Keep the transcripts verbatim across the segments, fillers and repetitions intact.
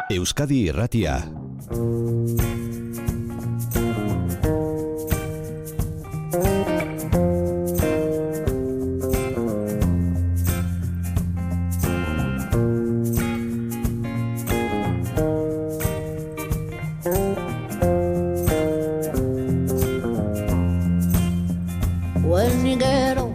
Euskadi Irratia.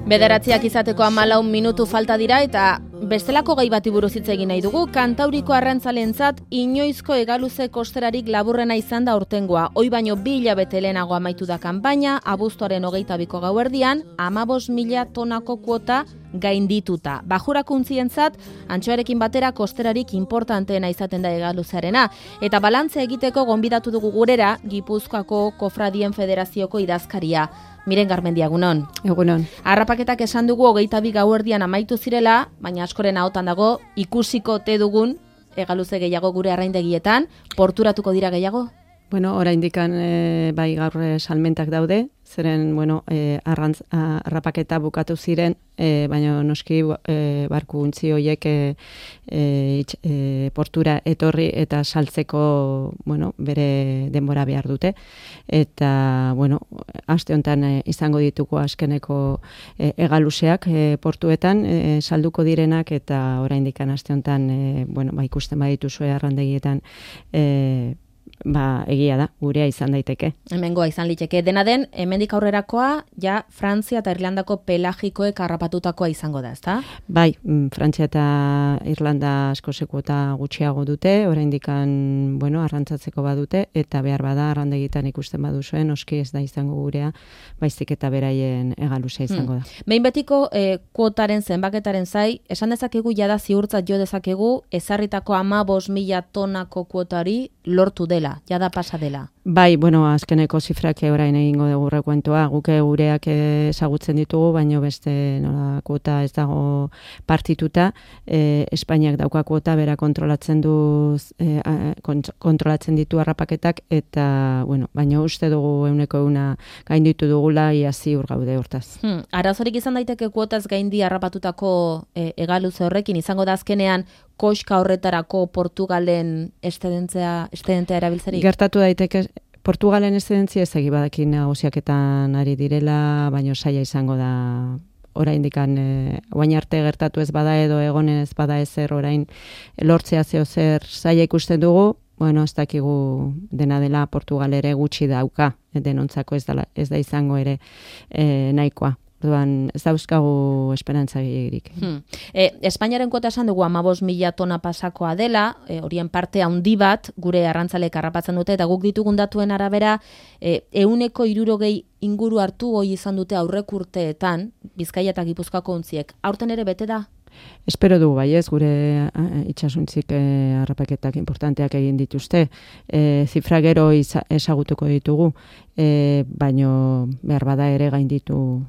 Bederatziak izateko hamalau minutu falta dira eta bestelako gai bati buruz hitz egin nahi dugu. Kantauriko arrantzalentzat inoizko hegaluze kosterarik laburrena izan da aurtengoa. Hoi baino bi hilabete lehenago amaitu da kanpaina, abuztuaren hogeita biko gauerdian, hamabost mila tonako kuota gaindituta. Bajurakuntzientzat, antxoarekin batera kosterarik importanteena izaten da hegaluzearena. Eta balantzea egiteko gonbidatu dugu gurera, Gipuzkoako Kofradien Federazioko idazkaria. Miren Garmendia, egunon. Egunon. Arrapaketak esan dugu hogeita bi gauerdian amaitu zirela, baina askoren ahotan dago ikusiko te dugun hegaluze gehiago gure arraindegietan. Porturatuko dira gehiago? Bueno, oraindikan e, bai gaur e, salmentak daude, zeren bueno, e, arrantz, arrapaketa bukatu ziren, e, baina noski e, barku untzi horiek e, e, portura etorri eta saltzeko bueno, bere denbora behar dute. Eta bueno, aste honetan e, izango dituko azkeneko e, hegaluzeak e, portuetan e, salduko direnak eta oraindikan aste honetan e, bueno, ba, ikusten badituzue arrandegietan e, ba, egia da, gurea izan daiteke. Hemengoa izan liteke. Dena den, hemendik aurrerakoa, ja, Frantzia eta Irlandako pelagikoek harrapatutakoa izango da, ezta? Bai, Frantzia eta Irlanda asko sekuota gutxiago dute, oraindikan, bueno, arrantzatzeko badute, eta behar bada, arrandegitan ikusten baduzuen, oski ez da izango gurea, baizik eta beraien hegaluzea izango da. Hmm. Behin betiko, eh, kuotaren zenbaketaren zai, esan dezakegu, jada ziurtzat jo dezakegu, ezarritako hamabost mila tonako kuotari lortu dela, jada pasa dela. Bai, bueno, azkeneko zifrak orain egingo dugu rekuentoa, guke gureak ezagutzen ditugu, baino beste nola kuota ez dago partituta, e, Espainiak dauka kuota, bera kontrolatzen du e, kontrolatzen ditu harrapaketak, eta, bueno, baino uste dugu euneko euna gainditu dugula, ia ziur gaude hortaz. Hmm, arazorik izan daiteke kuotaz gaindi harrapatutako e, hegaluze horrekin, izango da azkenean koska horretarako Portugalen estedentzia, estedentea erabiltzerik? Gertatu daiteke, Portugalen estedentzia ez egi badakin negoziaketan ari direla, baino saia izango da oraindikan e, orain arte gertatu ez bada edo egonen ez bada ezer orain lortzea zeo zer saia ikusten dugu, bueno, ez dakigu dena dela Portugal ere gutxi dauka, denontzako ez da, ez da izango ere e, nahikoa. Orduan, ez dauzkagu esperantza gehiagirik. Hmm. E, Espainiaren kuota esan dugu hamabost mila tona pasakoa dela, e, horien parte handi bat gure arrantzalek harrapatzen dute, eta guk ditugun datuen arabera, e, ehuneko hirurogei inguru hartu hoi izan dute aurrek urteetan, Bizkaia eta Gipuzkoako untziek. Aurten ere bete da? Espero dugu bai ez, gure itxasuntzik e, harrapaketak importanteak egin dituzte. E, zifra gero ezagutuko ditugu, e, baino behar bada ere gainditu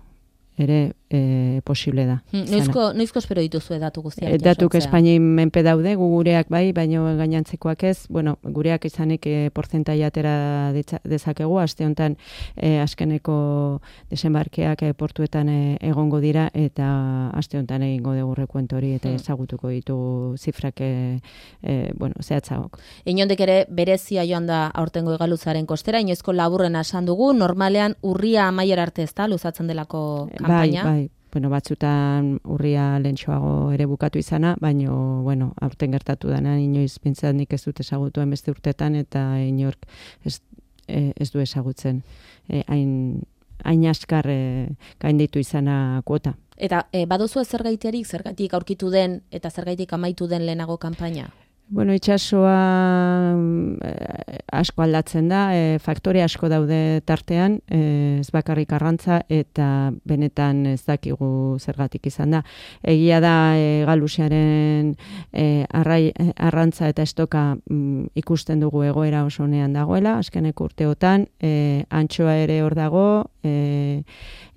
ere e, posible da. Hmm, noizko, noizko espero dituzu datu guztiak? E, datuk Espainian menpe daude, gu gureak bai, baino gainantzekoak ez, bueno, gureak izanik e, porzentai atera dezakegu, aste honetan e, azkeneko desembarkeak e, portuetan e, egongo dira, eta aste honetan egingo dugu rekuento hori, eta hmm. ezagutuko ditugu zifrak e, e, bueno, zehatzagok. Inondek ere berezia joan da aurtengo hegaluzaren kostera, inoizko laburrena esan dugu, normalean urria amaiera arte ez da, luzatzen delako kampaina? Bai, bai. Bueno, batzutan urria lentsuago ere bukatu izana, baino, bueno, aurten gertatu dana, inoiz pintzat nik ez dut ezagutuen beste urtetan, eta inork ez, ez du ezagutzen hain hain askar e, gainditu izana kuota. Eta e, baduzu zergaitiarik, zergatik aurkitu den eta zergaitik amaitu den lehenago kanpaina? Bueno, itxasoa eh, asko aldatzen da, eh, faktore asko daude tartean, eh, ez bakarrik arrantza eta benetan ez dakigu zergatik izan da. Egia da eh, galusiaren eh, arrai, eh, arrantza eta estoka mm, ikusten dugu egoera oso onean dagoela, azkeneko urteotan, eh, antxoa ere hor dago, eh,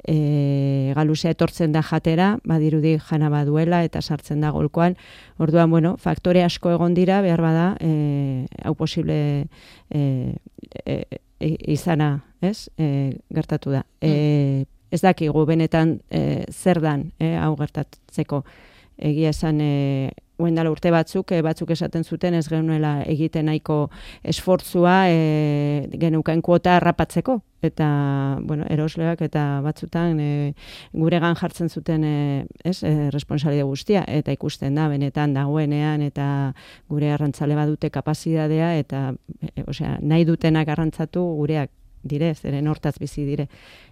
E, galusea etortzen da jatera, badirudi jana baduela eta sartzen da golkoan. Orduan, bueno, faktore asko egon dira, behar bada, e, hau posible e, e, e, izana, ez? E, gertatu da. E, ez dakigu benetan e, zer dan, e, hau gertatzeko. Egia esan, e, Oendala urte batzuk, e, batzuk esaten zuten ez genuela egiten nahiko esfortzua e, genuken kuota harrapatzeko. Eta, bueno, erosleak eta batzutan e, guregan jartzen zuten e, ez, e, responsabilitate guztia. Eta ikusten da, benetan dagoenean eta gure arrantzale badute kapazitatea eta e, osea, nahi dutenak arrantzatu gureak dire, zeren hortaz bizi dire.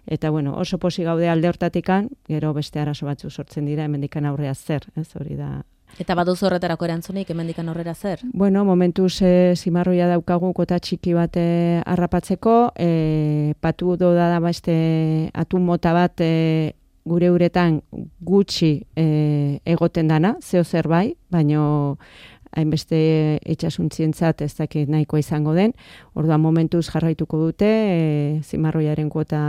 Eta, bueno, oso posi gaude alde hortatikan, gero beste arazo batzu sortzen dira, hemendikan aurrea zer, ez hori da. Eta baduzu horretarako erantzunik, hemendikan aurrera zer? Bueno, momentuz e, zimarroia daukagu kota txiki bat e, harrapatzeko, e, patu do da beste atun mota bat e, gure uretan gutxi e, egoten dana, zeo zer bai, baino hainbeste itxasuntzientzat ez dakit nahikoa izango den. Orduan momentuz jarraituko dute e, zimarroiaren kuota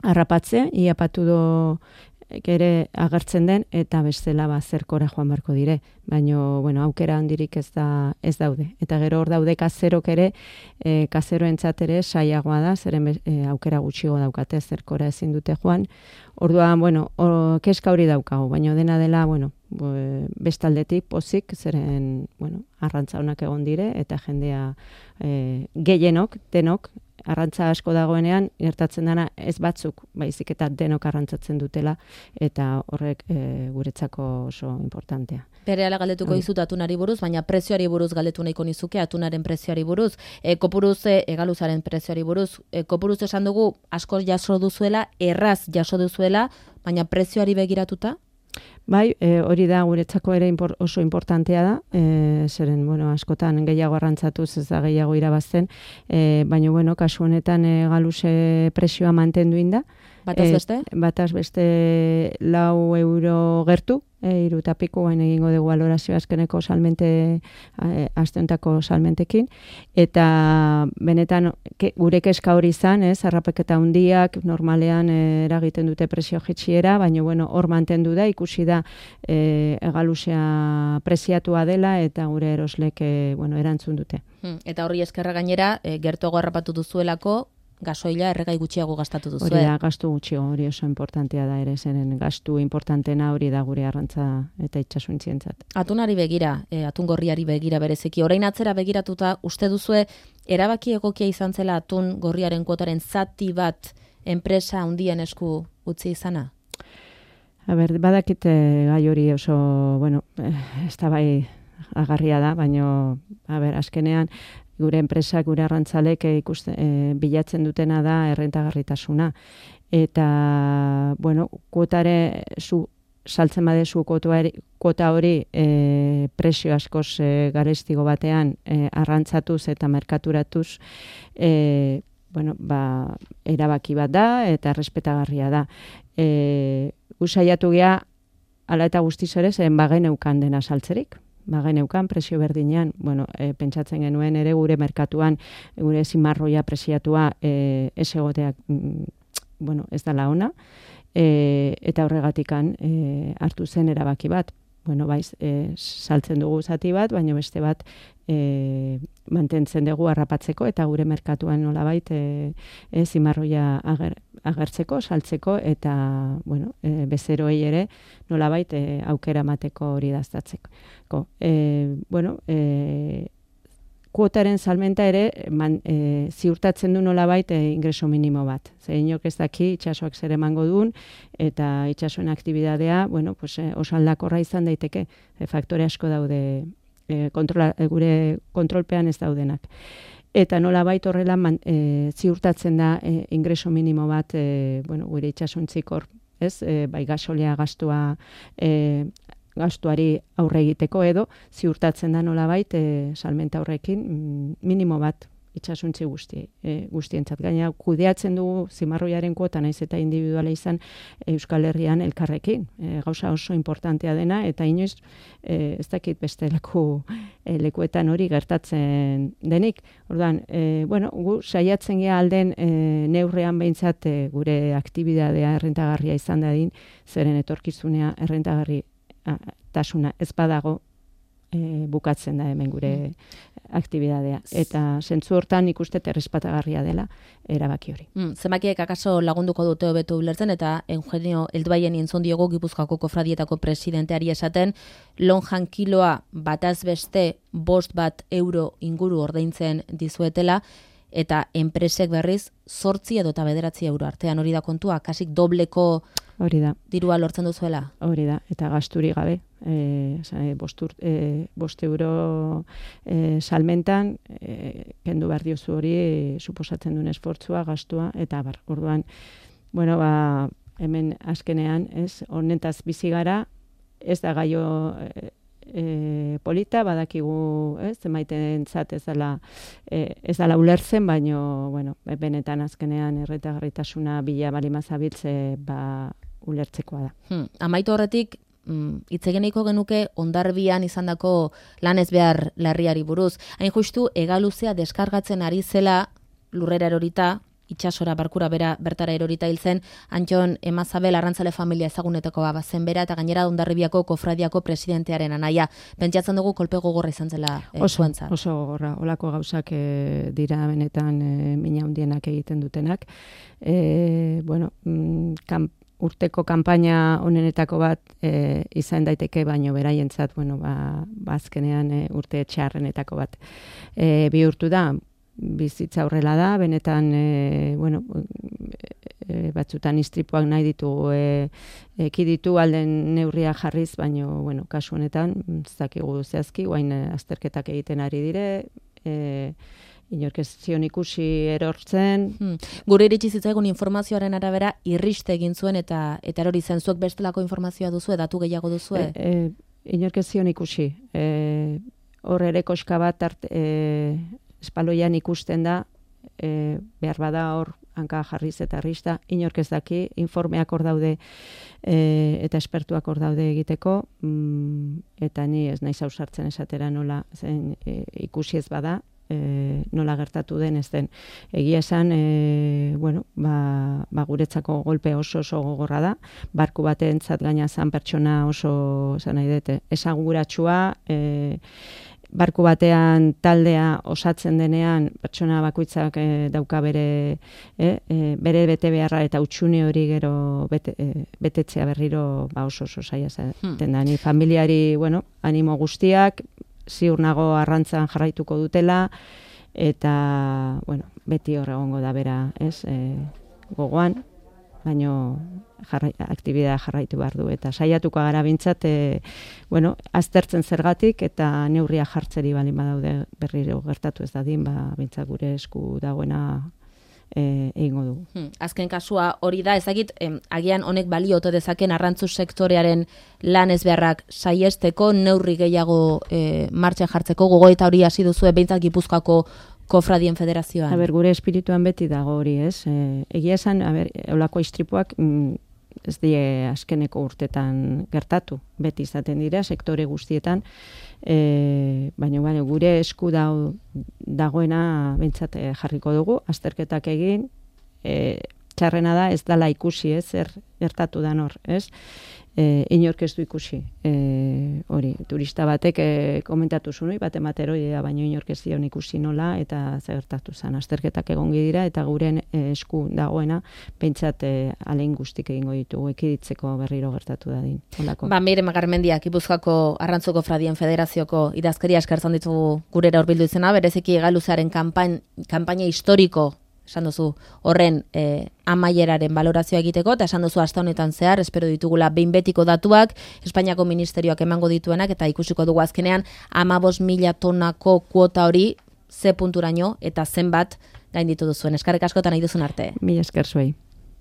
harrapatze, ia patu do ere agertzen den eta bestela ba zerkora joan beharko dire, baino bueno, aukera handirik ez da ez daude. Eta gero hor daude kazerok ere, e, kazeroentzat ere saiagoa da, zeren e, aukera gutxigo daukate zerkora ezin dute joan. Orduan, bueno, o, keska hori daukagu, baino dena dela, bueno, bestaldetik pozik, zeren, bueno, arrantza honak egon dire eta jendea e, gehienok, denok arrantza asko dagoenean, gertatzen dana ez batzuk, baizik eta denok arrantzatzen dutela, eta horrek e, guretzako oso importantea. Berehala galdetuko dizut atunari buruz, baina prezioari buruz galdetu nahiko nizuke, atunaren prezioari buruz, e, kopuruz egaluzaren prezioari buruz, e, kopuruz esan dugu asko jaso duzuela, erraz jaso duzuela, baina prezioari begiratuta? Bai, e, hori da guretzako ere impor, oso importantea da, e, zeren, bueno, askotan gehiago arrantzatuz ez da gehiago irabazten, e, baina, bueno, kasu honetan e, galuse presioa mantendu inda. Bataz beste? E, bataz beste lau euro gertu, e, iru eta piku, baina egingo dugu valorazio azkeneko salmente, e, asteontako salmentekin, eta benetan ke, gure keska hori izan, ez, harrapaketa handiak normalean e, eragiten dute presio jitxiera, baina, bueno, hor mantendu da, ikusi da e, egalusea preziatua dela, eta gure eroslek, e, bueno, erantzun dute. Hmm, eta horri eskerra gainera, e, gertuago harrapatu duzuelako, gasoila erregai gutxiago gastatu duzu. Hori da, gastu gutxiago, hori oso importantea da ere, zeren gastu importantena hori da gure arrantza eta itxasuntzientzat. Atunari begira, e, atun gorriari begira bereziki, orain atzera begiratuta, uste duzue, erabaki egokia izan zela atun gorriaren kuotaren zati bat enpresa handien esku utzi izana? A ber, badakite gai hori oso, bueno, ez da bai agarria da, baino, a ber, azkenean, gure enpresak, gure arrantzalek ikuste, e, bilatzen dutena da errentagarritasuna. Eta, bueno, kuotare, zu, saltzen badezu kuota hori e, presio askoz e, garestigo batean e, arrantzatuz eta merkaturatuz, e, bueno, ba, erabaki bat da eta errespetagarria da. E, usaiatu gea, ala eta guztiz ere, zen bagen eukan dena saltzerik. Bagen eukan, presio berdinean, bueno, e, pentsatzen genuen ere gure merkatuan, gure zimarroia presiatua e, ez egoteak, mm, bueno, ez dala ona, e, eta horregatikan e, hartu zen erabaki bat. Bueno, baiz, e, saltzen dugu zati bat, baina beste bat e, mantentzen dugu harrapatzeko, eta gure merkatuan nolabait e, e, zimarroia ager, agertzeko, saltzeko, eta bueno, e, bezeroei ere nolabait e, aukera mateko hori daztatzeko. E, bueno, e, kuotaren salmenta ere man, e, ziurtatzen du nolabait e, ingreso minimo bat. Zer inok ez daki itxasoak zer emango duen, eta itxasoen aktibidadea, bueno, pues, e, oso aldakorra izan daiteke. E, faktore asko daude e, kontrola, e, gure kontrolpean ez daudenak. Eta nolabait horrela man, e, ziurtatzen da e, ingreso minimo bat e, bueno, gure itxasontzik hor, ez? E, bai gasolea gastua e, gastuari aurre egiteko edo ziurtatzen da nolabait e, salmenta horrekin minimo bat itxasuntzi guzti, e, guztientzat. Gaina kudeatzen dugu zimarroiaren kuota naiz eta individuala izan Euskal Herrian elkarrekin. E, gauza oso importantea dena eta inoiz e, ez dakit beste leku, e, lekuetan hori gertatzen denik. Orduan, e, bueno, gu saiatzen gea alden e, neurrean behintzat e, gure aktibidadea errentagarria izan dadin, zeren etorkizunea errentagarri tasuna ez badago e, bukatzen da hemen gure aktibidadea. Eta zentzu hortan ikuste errespetagarria dela erabaki hori. Mm, zenbakiek akaso lagunduko dute hobeto ulertzen, eta Eugenio Helduaien entzun diogu Gipuzkoako kofradietako presidenteari esaten, lonjan kiloa bataz beste bost bat euro inguru ordaintzen dizuetela, eta enpresek berriz zortzi edo eta bederatzi euro artean, hori da kontua, kasik dobleko hori da. Dirua lortzen duzuela? Hori da, eta gasturi gabe. E, bost, e, bost euro e, salmentan, e, kendu behar diozu hori, e, suposatzen duen esfortzua, gastua, eta bar, orduan, bueno, ba, hemen azkenean, ez, honetaz bizi gara, ez da gaio e, e, polita, badakigu, ez, emaitentzat ez dela, e, ez dela ulertzen, baino, bueno, benetan azkenean erretagarritasuna bila balimazabiltze, ba, ulertzekoa da. Hmm. Amaitu horretik, hitz egin nahiko genuke Hondarbian izandako lan ez behar larriari buruz. Hain justu, hegaluzea deskargatzen ari zela lurrera erorita, itsasora barkura bera bertara erorita hil zen, Antxon Emazabel arrantzale familia ezagunetako bazen bera, eta gainera Hondarribiako kofradiako presidentearen anaia. Pentsatzen dugu kolpe gogorra izan zela e, oso, zuentzat. Oso gogorra, olako gauzak e, dira benetan e, mina hundienak egiten dutenak. E, bueno, kamp urteko kanpaina honenetako bat e, izan daiteke, baino beraientzat, bueno, ba, bazkenean e, urte txarrenetako bat e, bihurtu da, bizitza horrela da, benetan, e, bueno, e, batzutan istripuak nahi ditugu e, ekiditu alden neurria jarriz, baino, bueno, kasu honetan, ez dakigu zehazki, guain azterketak egiten ari dire, e, inork ez zion ikusi erortzen. Hmm. Gure iritsi zitzaigun informazioaren arabera irriste egin zuen eta eta erori zen. Zuek bestelako informazioa duzue, datu gehiago duzue? E, e, inork ez zion ikusi. E, hor ere koska bat art, e, espaloian ikusten da, e, behar bada hor hanka jarriz eta irrista, inork ez daki, informeak hor daude e, eta espertuak hor daude egiteko, mm, eta ni ez naiz ausartzen esatera nola zen, e, ikusi ez bada, E, nola gertatu den ez den. Egia esan, e, bueno, ba, ba guretzako golpe oso oso gogorra da, barku batentzat gaina zan pertsona oso, zan nahi dute, esaguratsua, e, barku batean taldea osatzen denean, pertsona bakoitzak e, dauka bere, e, e, bere bete beharra eta utxune hori gero bete, e, betetzea berriro ba oso oso saia zaten da. Ni familiari, bueno, animo guztiak, ziur nago arrantzan jarraituko dutela, eta, bueno, beti hor egongo da bera, ez, e, gogoan, baino jarra, aktibidea jarraitu behar du, eta saiatuko gara bintzat, e, bueno, aztertzen zergatik, eta neurria jartzeri balin badaude berriro gertatu ez dadin, ba, bintzat gure esku dagoena E, egingo dugu. Hmm. Azken kasua hori da, ezagit, em, agian honek balio ote dezaken arrantzu sektorearen lan ez beharrak saiesteko, neurri gehiago e, martxan jartzeko, gogoeta hori hasi duzue behintzat Gipuzkoako Kofradien Federazioan. A ber, gure espirituan beti dago hori, ez? E, egia esan, a ber, eulako istripuak mm, ez die azkeneko urtetan gertatu, beti izaten dira, sektore guztietan, e, baina baina, gure esku dau, dagoena bentsat jarriko dugu, azterketak egin, e, txarrena da ez dala ikusi, ez, zer gertatu da nor, ez? E, inork ez du ikusi, e, hori, turista batek e, komentatu zuen, bat emateroi da, baina inork ez dion ikusi nola, eta zer gertatu zen, azterketak egongi dira, eta guren e, esku dagoena, pentsat e, alein guztik egingo ditugu, ekiditzeko berriro gertatu dadin. Holako. Ba, Miren Magarmendiak, Gipuzkoako Arrantzuko Kofradien Federazioko idazkeria eskertzen ditugu gurera hurbildu izena, bereziki Hegaluzaren kanpain, kanpaina historiko, esan duzu, horren e, amaieraren balorazioa egiteko, eta esan duzu hasta honetan zehar, espero ditugula behin betiko datuak, Espainiako ministerioak emango dituenak, eta ikusiko dugu azkenean, hamabost mila tonako kuota hori, ze punturaino, eta zenbat gainditu duzuen. Eskerrik askotan nahi duzun arte. Mila esker zuei.